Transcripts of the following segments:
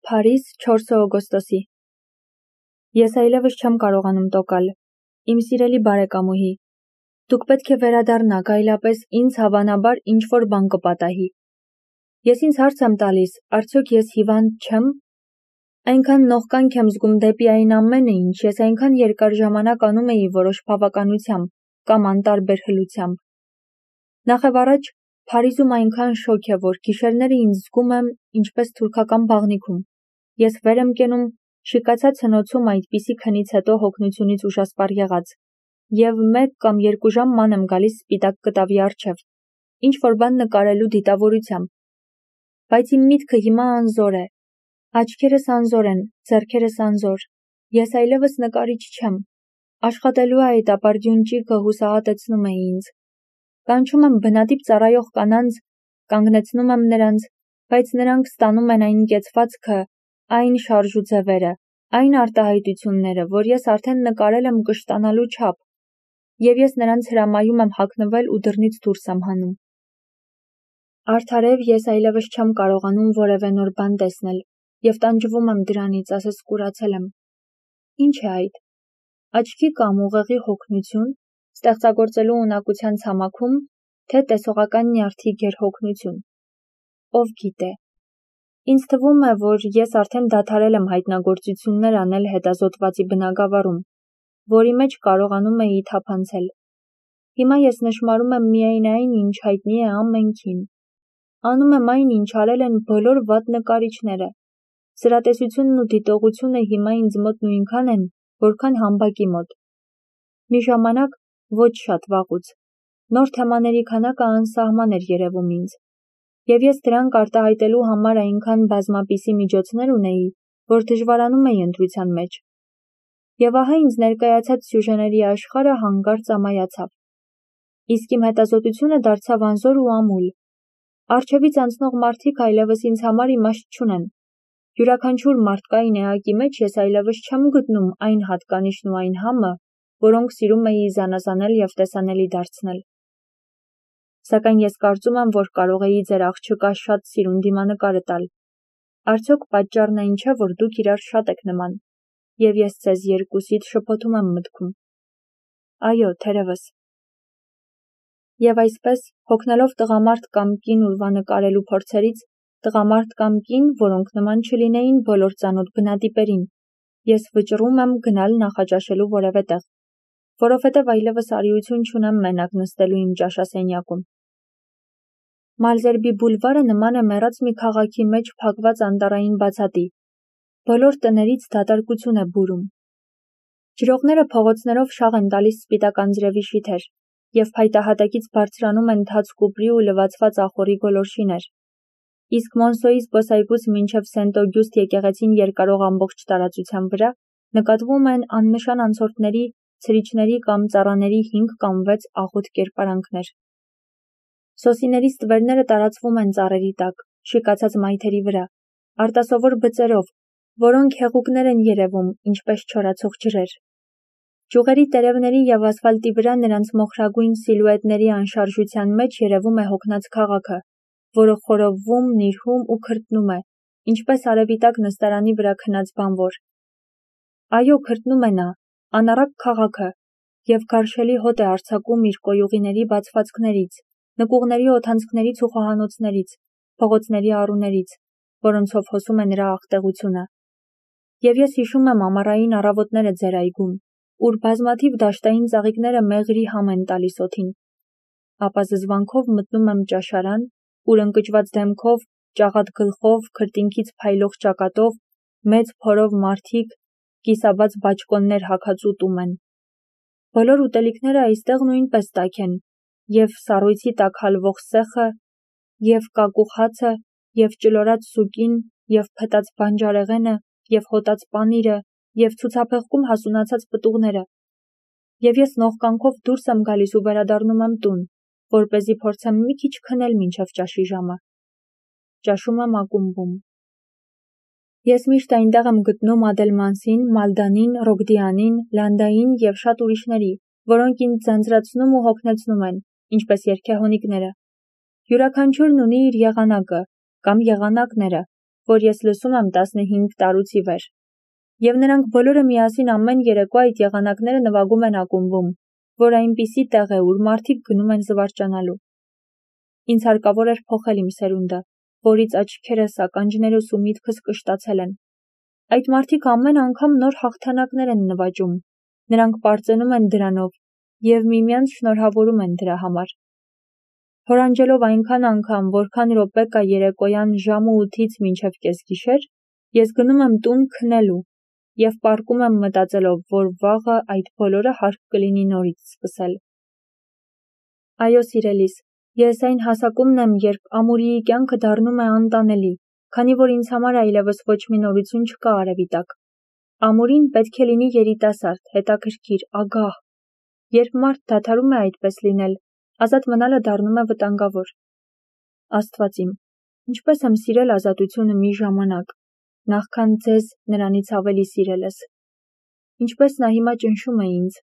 Փարիզ 4 օգոստոսի։ Ես այլևս չեմ կարողանում տոկալ, իմ սիրելի բարեկամուհի, դուք պետք է վերադառնաք, այլապես ինձ հավանաբար ինչ-որ բան կպատահի։ Ես ինձ հարց եմ տալիս, արդյոք ես հիվանդ չեմ։ Այնքան նողկանք եմ զգում դեպի այն ամենը, ինչ ես այնքան երկար ժամանակ անում էի որոշ բավականությամբ կամ անտարբեր հլությամբ։ Նախևառաջ, Փարիզում այնքան շոգ է, որ գիշերները ինձ զգում եմ ինչպես թուրքական բաղնիքում։ Ես վեր եմ կենում շիկացած հնոցում այդպիսի քնից հետո հոգնությունից ուշասպառ եղած, և 1 կամ 2 ժամ ման եմ գալիս սպիտակ կտավի առջև, ինչ-որ բան նկարելու դիտավորությամբ։ Բայց իմ միտքը հիմա անզոր է, աչքերս անզոր են, ձեռքերս անզոր, ես այլևս նկարիչ չեմ, աշխատելու այդ ապարդյուն ճիգը հուսահատեցնում է ինձ։ Կանչում եմ բնատիպ ծառայող կանանց, կանգնեցնում եմ նրանց, բայց նրանք ստանում են այն կեցվածքը, այն շարժուձևերը, այն արտահայտությունները, որ ես արդեն նկարել եմ կշտանալու չափ, և ես նրանց հրամայում եմ հագնվել ու դռնից դուրս եմ հանում։ Արդարև ես այլևս չեմ կարողանում որևէ նոր բան տեսնել, և տանջվում եմ դրանից, ասես կուրացել եմ։ Ինչ է այդ։ Աչքի կամ ուղեղի հոգնություն, ստեղծագործելու ունակության ցամաքում, թե տեսողական նյարդի գերհոգնություն։ Ով գիտե։ Ինձ թվում է, որ ես արդեն դադարել եմ հայտնագործություններ անել հետազոտվածի բնագավառում, որի մեջ կարողանում էի թափանցել։ Հիմա ես նշմարում եմ միայն այն, ինչ հայտնի է ամենքին։ Անում եմ այն, ինչ արել են բոլոր վատ նկարիչները։ Սրատեսությունն ու դիտողությունը հիմա ինձ մոտ նույնքան են, որքան համբակի մոտ։ Մի ժամանակ, ոչ շատ վաղուց, նոր թեմաների քանակը անսահման էր երևում ինձ, և ես դրանք արտահայտելու համար այնքան բազմապիսի միջոցներ ունեի, որ դժվարանում էի ընտրության մեջ։ Եվ ահա ինձ ներկայացած սյուժեների աշխարհը հանկարծ ամայացավ։ Իսկ իմ հետազոտությունը դարձավ անզոր ու ամուլ։ Առջևից անցնող մարդիկ այլևս ինձ համար իմաստ չունեն։ Յուրաքանչյուր մարդկային էակի մեջ ես այլևս չեմ գտնում այն հատկանիշն ու այն համը, որոնք սիրում էի զանազանել և տեսանելի դարձնել։ Սակայն ես կարծում եմ, որ կարող էի ձեր աղջկա շատ սիրուն դիմանկարը տալ։ Արդյոք պատճառն այն չէ, որ դուք իրար շատ եք նման, և ես ձեզ երկուսիդ շփոթում եմ մտքում։ Այո, թերևս։ Եվ այսպես, հոգնելով տղամարդ կամ կին ուրվանկարելու փորձերից, տղամարդ կամ կին, որոնք նման չլինեին բոլոր ծանոթ բնատիպերին, ես վճռում եմ գնալ նախաճաշելու որևէ տեղ, որովհետև այլևս արիություն չունեմ մենակ նստելու իմ ճաշասենյակում։ Մալզերբի բուլվարը նման է մեռած մի քաղաքի մեջ փակված անտառային բացատի։ Բոլոր տներից դատարկություն է բուրում։ Ջրողները փողոցներով շաղ են տալիս սպիտակ անձրևի շիթեր, և փայտահատակից բարձրանում են թաց կուպրի ու լվացված ախորի գոլորշիներ։ Իսկ Մոնսոյի զբոսայգուց մինչև Սենտ-Օգյուստ եկեղեցին երկարող ամբողջ տարածության վրա նկատվում են աննշան անցորդների, ցրիչների կամ ծառաների 5 կամ 6 աղոտ կերպարանքներ։ Սոսիների ստվերները տարածվում են ծառերի տակ, շիկացած մայթերի վրա, արտասովոր բծերով, որոնք հեղուկներ են երևում, ինչպես չորացող ջրեր։ Ճյուղերի տերևների և ասֆալտի վրա նրանց մոխրագույն սիլուետների անշարժության մեջ երևում է հոգնած քաղաքը, որը խորովվում, նիրհում ու քրտնում է, ինչպես արևի տակ նստարանի վրա քնած բանվոր։ Այո, քրտնում է նա, անառակ քաղաքը, և գարշելի հոտ է արձակում իր կոյուղիների բացվածքներից, նկուղների օդանցքներից ու խոհանոցներից, փողոցների առուներից, որոնցով հոսում է նրա աղտեղությունը։ Եվ ես հիշում եմ ամառային առավոտները ձեր այգում, ուր բազմաթիվ դաշտային ծաղիկները մեղրի համ են տալիս օդին։ Ապա զզվանքով մտնում եմ ճաշարան, ուր ընկճված դեմքով, ճաղատ գլխով, քրտինքից փայլող ճակատով, մեծ փորով մարդիկ, կիսաբաց բաճկոններ հագած ուտում են։ Բոլոր ուտելիքները այստեղ նույնպես տաք են, և սառույցի տակ հալվող սեխը, և կակուղ հացը, և ճլորած սուկին, և փտած բանջարեղենը, և հոտած պանիրը, և ցուցափեղկում հասունացած պտուղները։ Եվ ես նողկանքով դուրս եմ գալիս ու վերադառնում եմ տուն, որպեսզի փորձեմ մի քիչ քնել մինչև ճաշի ժամը։ Ճաշում եմ ակումբում։ Ես միշտ այնտեղ եմ գտնում Ադելմանսին, Մալդանին, Ռոգդիանին, Լանդային և շատ ուրիշների, որոնք ինձ ձանձրացնում ու հոգնեցնում են, ինչպես երգեհոնիկները։ Յուրաքանչյուրն ունի իր եղանակը, կամ եղանակները, որ ես լսում եմ 15 տարուց ի վեր։ Եվ նրանք բոլորը միասին ամեն երեկո այդ եղանակները նվագում են ակումբում, որ այնպիսի տեղ է, ուր մարդիկ գնում են զվարճանալու։ Ինձ հարկավոր էր փոխել իմ սերունդը, որից աչքերս, ականջներս ու միտքս կշտացել են։ Այդ մարդիկ ամեն անգամ նոր հաղթանակներ են նվաճում, նրանք պարծենում են դրանով և միմյանց շնորհավորում են դրա համար։ Հորանջելով այնքան անգամ, որքան րոպե կա երեկոյան ժամը 8-ից մինչև կեսգիշեր, ես գնում եմ տուն քնելու և պառկում եմ մտածելով, որ վաղը այդ բոլորը հարկ կլինի նորից սկսել։ Այո, սիրելիս, ես այն հասակումն եմ, երբ ամուրիի կյանքը դառնում է անտանելի, քանի որ ինձ համար այլևս ոչ մի նորություն չկա արևի տակ։ Ամուրին պետք է լինի երիտասարդ, հետաքրքիր, ագահ։ Երբ մարդ դադարում է այդպես լինել, ազատ մնալը դառնում է վտանգավոր։ Աստված իմ, ինչպես եմ սիրել ազատությունը մի ժամանակ, նախքան ձեզ նրանից ավելի սիրելս։ Ինչպես նա հիմա ճնշում է ինձ։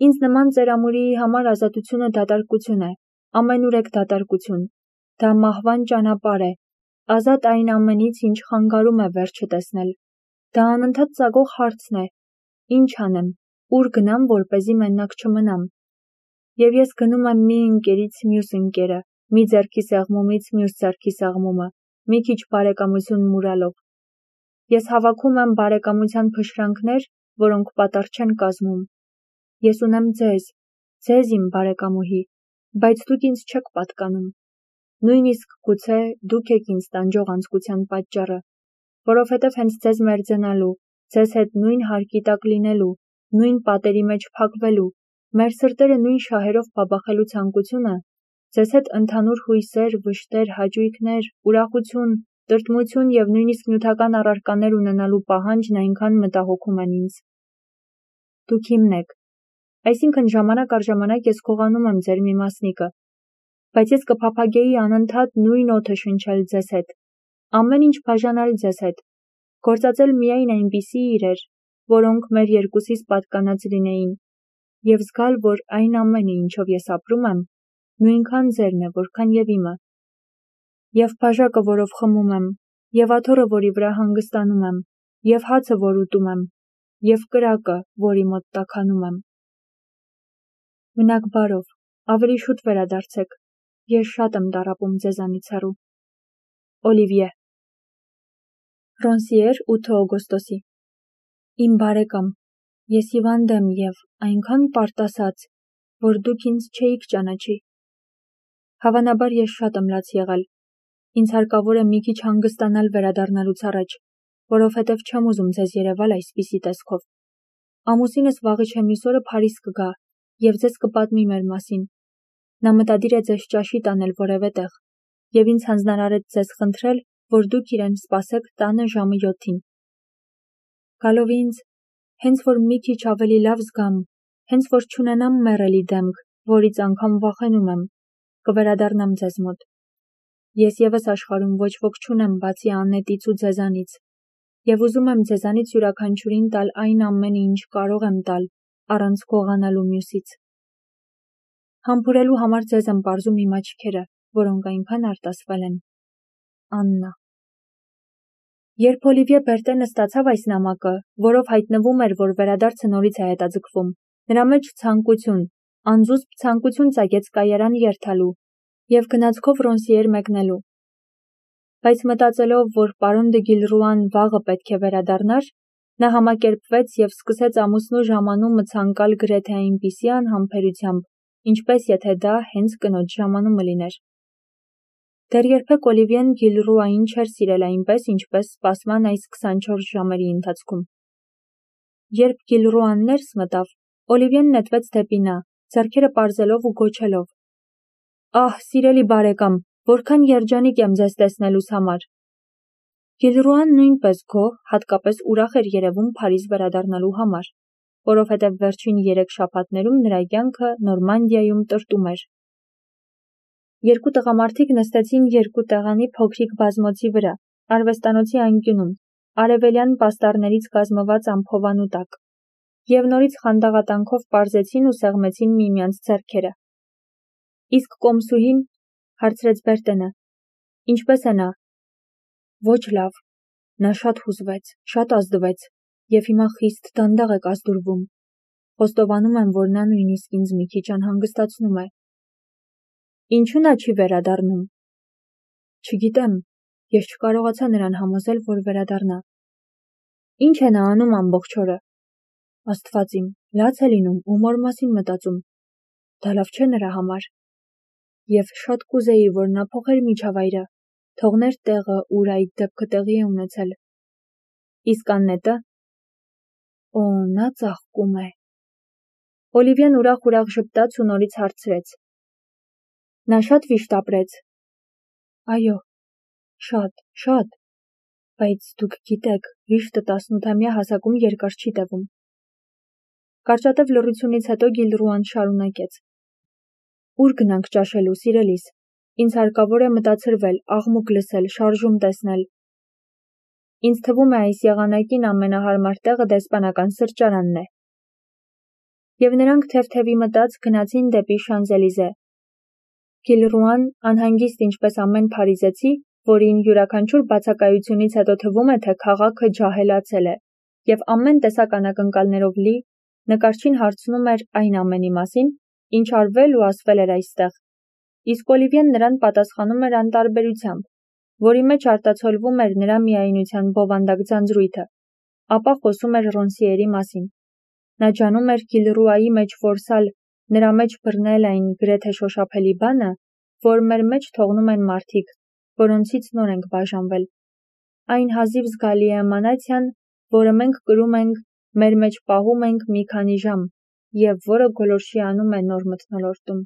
Ինձ նման ձեր ամուրիի համար ազատությունը դատարկություն է, ամենուրեք դատարկություն։ Դա մահվան ճանապարհ է, ազատ այն ամենից, ինչ խանգարում է վերջը տեսնել։ Դա անընդհատ ծագող հարցն է. ինչ անեմ, ուր գնամ, որպեսզի մենակ չմնամ։ Եվ ես գնում եմ մի ընկերից մյուս ընկերը, մի ձեռքի սեղմումից մյուս ձեռքի սեղմումը, մի քիչ բարեկամություն մուրալով։ Ես հավաքում եմ բարեկամության փշրանքներ, որոնք պատառ չեն կազմում։ Ես ունեմ ձեզ իմ բարեկամուհի, բայց դուք ինձ չեք պատկանում։ Նույնիսկ գուցե դուք եք ինձ տանջող անձկության պատճառը, որովհետև հենց ձեզ մերձենալու, ձեզ հետ նույն հարկի տակ լինելու, նույն պատերի մեջ փակվելու, մեր սրտերը նույն շահերով բաբախելու ցանկությունը, ձեզ հետ ընդհանուր հույսեր, վշտեր, հաճույքներ, ուրախություն, տրտմություն և նույնիսկ նյութական առարկաներ ունենալու պահանջն այնքան մտահոգում են ինձ։ Դուք իմն եք, այսինքն ժամանակ առ ժամանակ ես քողանում եմ ձեր մի մասնիկը, բայց ես կփափագեի անընդհատ նույն օդը շնչել ձեզ հետ, ամեն ինչ բաժանալ ձեզ հետ, գործածել միայն այնպիսի իրեր, որոնք մեր երկուսիս պատկանած լինեին, և զգալ, որ այն ամենը, ինչով ես ապրում եմ, նույնքան ձերն է, որքան և իմը։ Եվ բաժակը, որով խմում եմ, և աթոռը, որի վրա հանգստանում եմ, և հացը, որ ուտում եմ, և կրակը, որի մոտ տաքանում եմ։ Մնաք բարով, ավելի շուտ վերադարձեք, ես շատ եմ տառապում ձեզանից հեռու։ Օլիվիե։ Ռոնսիեր 8 օգոստոսի։ Իմ բարեկամ, ես հիվանդ եմ և այնքան պարտասած, որ դուք ինձ չէիք ճանաչի։ Հավանաբար ես շատ եմ լաց եղել։ Ինձ հարկավոր է մի քիչ հանգստանալ վերադառնալուց առաջ, որովհետև չեմ ուզում ձեզ երևալ այսպիսի տեսքով։ Ամուսինս վաղը չէ մյուս օրը Փարիզ կգա և ձեզ կպատմի մեր մասին։ Նա մտադիր է ձեզ ճաշի տանել որևէ տեղ, և ինձ հանձնարարեց ձեզ խնդրել, որ դուք իրեն սպասեք տանը ժամը 7-ին։ Գալով ինձ, հենց որ մի քիչ ավելի լավ զգամ, հենց որ չունենամ մեռելի դեմք, որից անգամ վախենում եմ, կվերադառնամ ձեզ մոտ։ Ես ևս աշխարհում ոչ ոք չունեմ բացի Անետից ու ձեզանից, և ուզում եմ ձեզանից յուրաքանչյուրին տալ այն ամենը, ինչ կարող եմ տալ, առանց գողանալու մյուսից։ Համբուրելու համար ձեզ եմ պարզում իմ աչքերը, որոնք այնքան արտասվել են։ Աննա։ Երբ Օլիվիե Բերտենը ստացավ այս նամակը, որով հայտնվում էր, որ վերադարձը նորից է հետաձգվում, նրա մեջ ցանկություն, անզուսպ ցանկություն ծագեց կայարան երթալու և գնացքով Ռոնսիեր մեկնելու։ Բայց մտածելով, որ պարոն դը Գիլռուան վաղը պետք է վերադառնար, նա համակերպվեց և սկսեց ամուսնու ժամանումը ցանկալ գրեթե այնպիսի անհամբերությամբ, ինչպես եթե դա հենց կնոջ ժամանումը լիներ։ Դեռ երբեք Օլիվիեն Գիլռուային չէր սիրել այնպես, ինչպես սպասման այս 24 ժամերի ընթացքում։ Երբ Գիլռուան ներս մտավ, Օլիվիեն նետվեց դեպի նա, ձեռքերը պարզելով ու գոչելով. «Ահ, սիրելի բարեկամ, որքան երջանիկ եմ ձեզ տեսնելուս համար»։ Գիլռուան նույնպես գոհ, հատկապես ուրախ էր երևում Փարիզ վերադառնալու համար, որովհետև վերջին 3 շաբաթներում նրա կյանքը Նորմանդիայում տրտում էր։ Երկու տղամարդիկ նստեցին երկու տեղանի փոքրիկ բազմոցի վրա, արվեստանոցի անկյունում, արևելյան պաստառներից կազմված ամփովանու տակ, և նորից խանդաղատանքով պարզեցին ու սեղմեցին միմյանց ձեռքերը։ Իսկ կոմսուհին, հարցրեց Բերտենը, ինչպես է նա։ Ոչ լավ, նա շատ հուզվեց, շատ ազդվեց, և հիմա խիստ դանդաղ է կազդուրվում, խոստովանում եմ, որ նա նույնիսկ ինձ մի քիչ անհանգստացնում է։ Ինչու նա չի վերադառնում։ Չգիտեմ, ես չկարողացա նրան համոզել, որ վերադառնա։ Ինչ է նա անում ամբողջ օրը։ Աստված իմ, լաց է լինում, ում օր մասին մտածում։ Դա լավ չէ նրա համար։ Եվ շատ կուզեի, որ նա փոխեր միջավայրը, թողներ տեղը, ուր այդ դեպքը տեղի է ունեցել։ Իսկ Աննետը։ Օ, նա ծաղկում է։ Օլիվիան ուրախ ժպտաց ու նորից հարցրեց. Նա շատ վիշտ ապրեց։ Այո, շատ, բայց դուք գիտեք, վիշտը 18-ամյա հասակում երկար չի տևում։ Կարճատև լռությունից հետո Գիլռուան շարունակեց. Ուր գնանք ճաշելու, սիրելիս։ Ինձ հարկավոր է մտացրվել, աղմուկ լսել, շարժում տեսնել։ Ինձ թվում է այս եղանակին ամենահարմար տեղը դեսպանական սրճարանն է։ Եվ նրանք թեթևի մտած գնացին դեպի Շանզելիզե։ Գիլռուան, անհանգիստ ինչպես ամեն փարիզեցի, որին յուրաքանչյուր բացակայությունից հետո թվում է, թե քաղաքը ջահելացել է, և ամեն տեսակ անակնկալներով լի, նկարչին հարցնում էր այն ամենի մասին, ինչ արվել ու ասվել էր այստեղ, իսկ Օլիվիեն նրան պատասխանում էր անտարբերությամբ, որի մեջ արտացոլվում էր նրա միայնության բովանդակ ձանձրույթը, ապա խոսում էր Ռոնսիերի մասին։ Նա ջանում էր Գիլռուայի մեջ որսալ, նրա մեջ բռնել այն գրեթե շոշափելի բանը, որ մեր մեջ թողնում են մարդիկ, որոնցից նոր ենք բաժանվել։ Այն հազիվ զգալի էմանացիան, որը մենք կրում ենք, մեր մեջ պահում ենք մի քանի ժամ, և որը գոլորշի անում է նոր մթնոլորտում։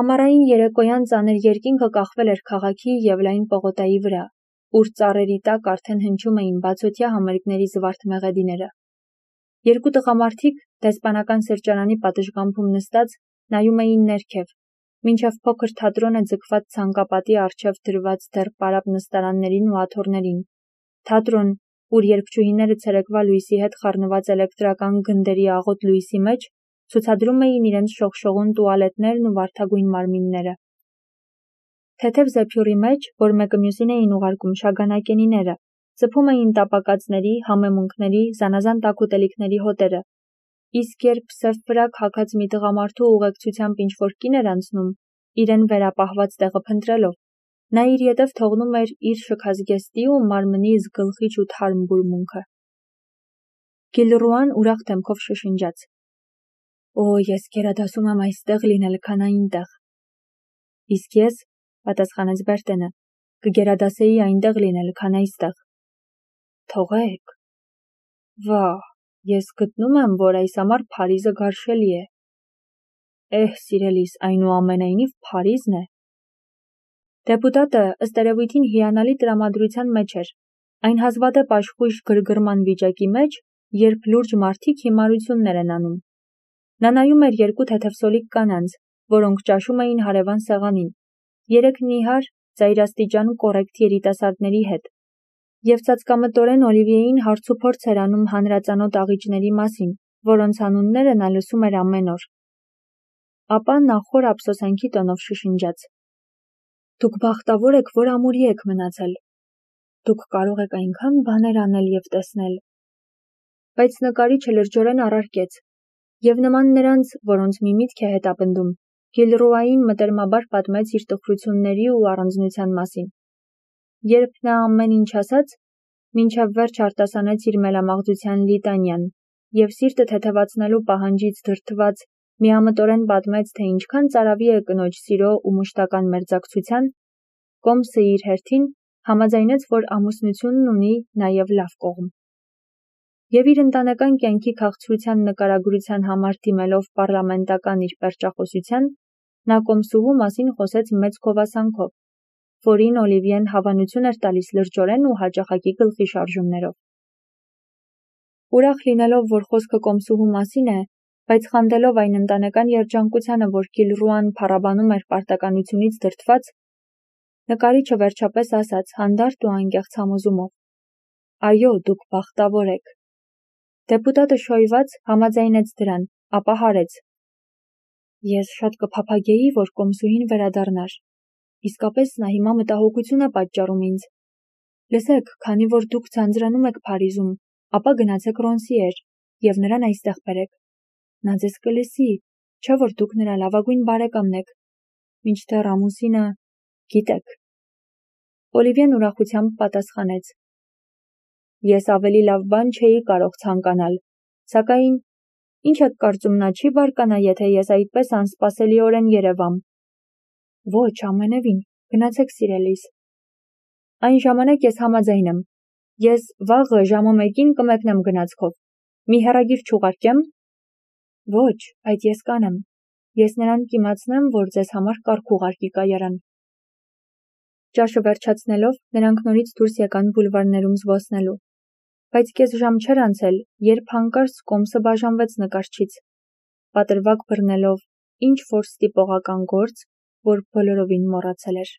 Ամառային երեկոյան ծանր երկինքը կախվել էր քաղաքի և լայն պողոտայի վրա, ուր ծառերի տակ արդեն հնչում էին բացօթյա համերգների զվարթ մեղեդիները։ Երկու տղամարդիկ, դեսպանական սրճարանի պատշգամբում նստած, նայում էին ներքև, մինչև փոքր թատրոնը ձգված ցանկապատի առջև դրված դեռ պարապ նստարաններին ու աթոռներին, թատրոն, ուր երգչուհիները ցերեկվա լույսի հետ խառնված էլեկտրական գնդերի աղոտ լույսի մեջ ցուցադրում էին իրենց շողշողուն տուալետներն ու վարդագույն մարմինները։ Թեթև զեփյուռի մեջ, որ մեկը մյուսին էին ուղարկում շագանակենիները, ծփում էին տապակածների, համեմունքների, զանազան տաք ուտելիքների հոտերը, իսկ երբ սև ֆրակ հագած մի տղամարդու ուղեկցությամբ ինչ-որ կին էր անցնում, իրեն վերապահված տեղը փնտրելով, նա իր ետև թողնում էր իր շքազգեստի ու մարմնի զգլխիչ ու թարմ բուրմունքը։ Գիլռուան ուրախ դեմքով շշնջաց. Օ, ես գերադասում եմ այստեղ լինել, քան այնտեղ։ Իսկ ես, պատասխանեց Բերտենը, կգերադասեի այնտեղ լինել, քան այստեղ։ Թողեք։ Վահ, ես գտնում եմ, որ այս ամառ Փարիզը գարշելի է։ Սիրելիս, այնուամենայնիվ Փարիզն է։ Դեպուտատը ըստ երևույթին հիանալի տրամադրության մեջ էր, այն հազվադեպ աշխույժ գրգռման վիճակի մեջ, երբ լուրջ մարդիկ հիմարություններ են անում։ Նա նայում էր երկու թեթևսոլիկ կանանց, որոնք ճաշում էին հարևան սեղանին, երեք նիհար, ծայրաստիճան կոռեկտ երիտասարդների հետ, և ծածկամտորեն Օլիվիեին հարցուփորձ էր անում հանրածանոթ աղիճների մասին, որոնց անունները նա լսում էր ամեն օր։ Ապա նա խոր ափսոսանքի տոնով շշնջաց. Դուք բախտավոր եք, որ ամուրի եք մնացել։ Դուք կարող եք այնքան բաներ անել և տեսնել։ Բայց նկարիչը լրջորեն առարկեց, և նման նրանց, որոնց մի միտք է հետապնդում, Գիլռուային մտերմաբար պատմեց իր տխրությունների ու առանձնության մասին։ Երբ նա ամեն ինչ ասաց, մինչև վերջ արտասանեց իր մելամաղձության լիտանիան, և սիրտը թեթևացնելու պահանջից դրդված միամտորեն պատմեց, թե ինչքան ծարավի է կնոջ սիրո ու մուշտական մերձակցության, Կոմսը իր հերթին համաձայնեց, որ ամուսնությունն ունի նաև լավ կողմ։ Եվ իր ընտանեկան կյանքի քաղցրության նկարագրության համար դիմելով պառլամենտական իր պերճախոսության, նա Կոմսուհու մասին խոսեց մեծ գովասանքով, որին Օլիվիեն հավանություն էր տալիս լրջորեն ու հաճախակի գլխի շարժումներով։ Ուրախ լինելով, որ խոսքը Կոմսուհու մասին է, բայց խանդելով այն ընտանեկան երջանկությանը, որ Գիլռուան փառաբանում էր պարտականությունից դրդված, նկարիչը վերջապես ասաց հանդարտ ու անկեղծ համոզումով. Այո, դուք բախտավոր եք։ Դեպուտատը շոյված համաձայնեց դրան, ապա հարեց. Ես շատ կփափագեի, որ Կոմսուհին վերադառնար, իսկապես նա հիմա մտահոգություն է պատճառում ինձ։ Լսեք, քանի որ դուք ձանձրանում եք Փարիզում, ապա գնացեք Ռոնսիեր և նրան այստեղ բերեք։ Նա ձեզ կլսի, չէ՞ որ դուք նրա լավագույն բարեկամն եք, մինչդեռ ամուսինը, գիտեք։ Օլիվիեն ուրախությամբ պատասխանեց. Ես ավելի լավ բան չէի կարող ցանկանալ, սակայն ինչ եք կարծում, նա չի բարկանա, եթե ես այդպես անսպասելիորեն երևամ։ Ոչ, ամենևին, գնացեք սիրելիս։ Այն ժամանակ ես համաձայն եմ։ Ես վաղը ժամը 1-ին կմեկնեմ գնացքով։ Մի հեռագիր չուղարկեմ։ Ոչ, այդ ես կանեմ։ Ես նրան կիմացնեմ, որ ձեզ համար կարգ ուղարկի կայարան։ Ճաշը վերջացնելով, նրանք նորից դուրս եկան բուլվարներում զբոսնելու։ Բայց կես ժամ չէր անցել, երբ հանկարծ կոմսը բաժանվեց նկարչից, պատրվակ բռնելով ինչ-որ ստիպողական գործ, որ բոլորովին մոռացել էր։